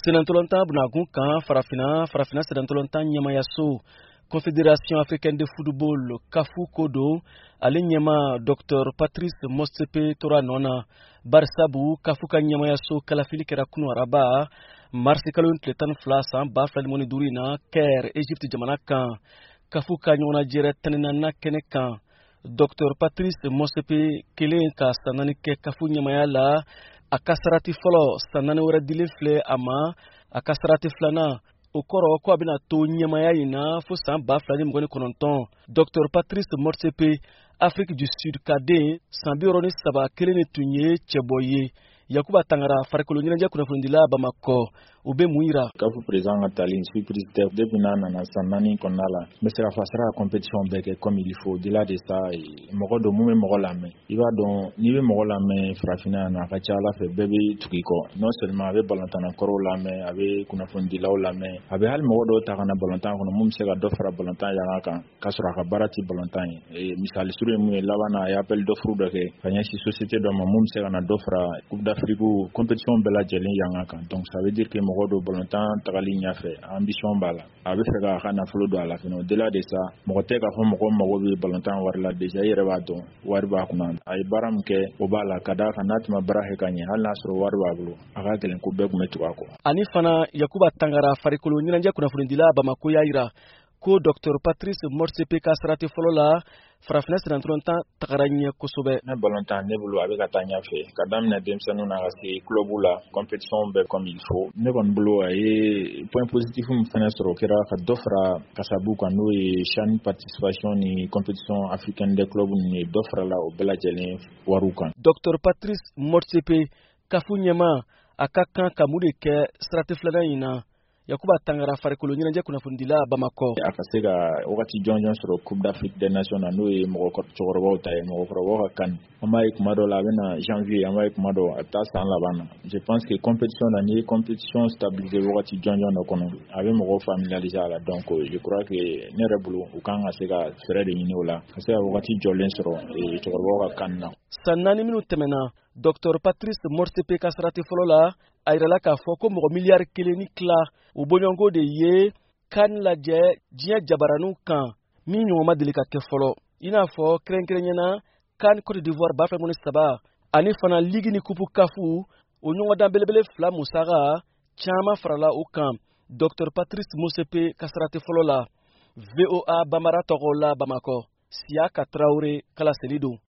Senatɔlɔntan bunakun kan, Farafinna senatɔlɔntan ɲɛmayaso, Confédération africaine de football, CAF ko don, ale ɲɛma Dr Patrice Motsepe tora nɔ na, barisabu CAF ka ɲɛmayaso kalafili kɛra kunu araba, marisi kalo tile 12, san 2025 in na, Caire, Egypte jamana kan, CAF ka ɲɔgɔnnajɛrɛ 14nan kɛnɛ kan. Dr Patrice Motsepe kelen ka san 4 kɛ CAF ɲɛmaya la, a ka sarati fɔlɔ, san 4 wɛrɛ dilen filɛ a ma. A ka sarati filanan, o kɔrɔ ko a bɛna to ɲɛmaya in na fo san 2029. Dr Patrice Motsepe, Afrique du Sud ka den, san 63 kelen de tun ye cɛbɔ ye. Yakuba Tangara, farikolo ɲɛnajɛ kunnafonidila Bamakɔ, o bɛ mun yira? CAF président ka tali, surprise tɛ. Depuis n'a nana, san 4 kɔnɔna la, n bɛ se k'a fɔ a sera ka compétition bɛɛ kɛ comme il faut. Au-delà de ça, mɔgɔ don mun bɛ mɔgɔ lamɛn. I b'a dɔn, n'i bɛ mɔgɔ lamɛn farafinna yan nɔ, a ka ca ala fɛ, bɛɛ bɛ tugu i kɔ. Non seulement a bɛ balontanna kɔrɔw lamɛn, a bɛ kunnafonidilaw lamɛn, a bɛ hali mɔgɔ dɔw ta ka na balontan kɔnɔ mun bɛ se ka dɔ fara balontan yanga kan, k'a sɔrɔ a ka baara tɛ balontan ye. Misali surun ye mun ye, laban na, a ye appel d'offre dɔ kɛ ka ɲɛsin société dɔ ma mun bɛ se ka na dɔ fara Coupe d'Afrique compétition bɛɛ lajɛlen yanga kan. Donc ça veut dire que mɔgɔ don, balontan tagali ɲɛfɛ, ambition b'a la, a bɛ fɛ k'a ka nafolo don a la fɛnɛ. Au-delà de ça, mɔgɔ tɛ k'a fɔ mɔgɔ mago bɛ balontan wari la. Déjà, i yɛrɛ b'a dɔn, wari b'a kunna, a ye baara min kɛ, o b'a la. Ka d'a kan, n'a tun ma baara kɛ ka ɲɛ, hali n'a sɔrɔ wari b'a bolo, a ka gɛlɛn ko bɛɛ tun bɛ tugu a kɔ. Ani fana, Yakuba Tangara, farikolo ɲɛnajɛ kunnafonidila Bamako, y'a yira ko Dr Patrice Motsepe ka sarati fɔlɔ la, farafinna senatɔlɔntan tagara ɲɛ kosɛbɛ. Ne balontan, ne bolo, a bɛ ka taa ɲɛfɛ, ka daminɛ denmisɛnninw na ka se club la, compétition bɛɛ comme il faut. Ne kɔni bolo, a ye point positif min fɛnɛ sɔrɔ, o kɛra ka dɔ fara kasabu kan, n'o ye CHAN participation ni compétition africaine des clubs ninnu ye, dɔ farala o bɛɛ lajɛlen wariw kan. Dr Patrice Motsepe, CAF ɲɛma, a ka kan ka mun de kɛ sarati filanan in na? Yakuba Tangara, farikolo ɲɛnajɛ kunnafonidila Bamakɔ. A ka se ka wagati jɔnjɔn sɔrɔ Coupe d'Afrique des Nations na, n'o ye mɔgɔ cɛkɔrɔbaw ta ye, mɔgɔkɔrɔbaw ka CAN. An b'a ye kuma dɔ la, a bɛ na janvier, an b'a ye kuma dɔ, a bɛ taa san laban na. Je pense que compétition na, n'i ye compétition stabiliser wagati jɔnjɔn dɔ kɔnɔ, a bɛ mɔgɔw familiariser a la. Donc je crois que ne yɛrɛ bolo, u kan ka se ka fɛɛrɛ de ɲini o la, ka se ka wagati jɔlen sɔrɔ cɛkɔrɔbaw ka CAN na. San 4 minnu tɛmɛna, Dr Patrice Motsepe ka sarati fɔlɔ la, a yirala k'a fɔ ko mɔgɔ miliyari 1 ni tila o bɔɲɔgɔnko de ye CAN lajɛ diɲɛ jabaraninw kan, min ɲɔgɔn ma deli ka kɛ fɔlɔ, i n'a fɔ kɛrɛnkɛrɛnyana CAN Côte d'Ivoire 2023, ani fana ligue ni coupe CAF, o ɲɔgɔndan belebele fila musaka caman farala o kan Dr Patrice Motsepe ka sarati fɔlɔ la. VOA Bambara tɔgɔ la, Bamakɔ, Siyaka Tarawele kalaseli don.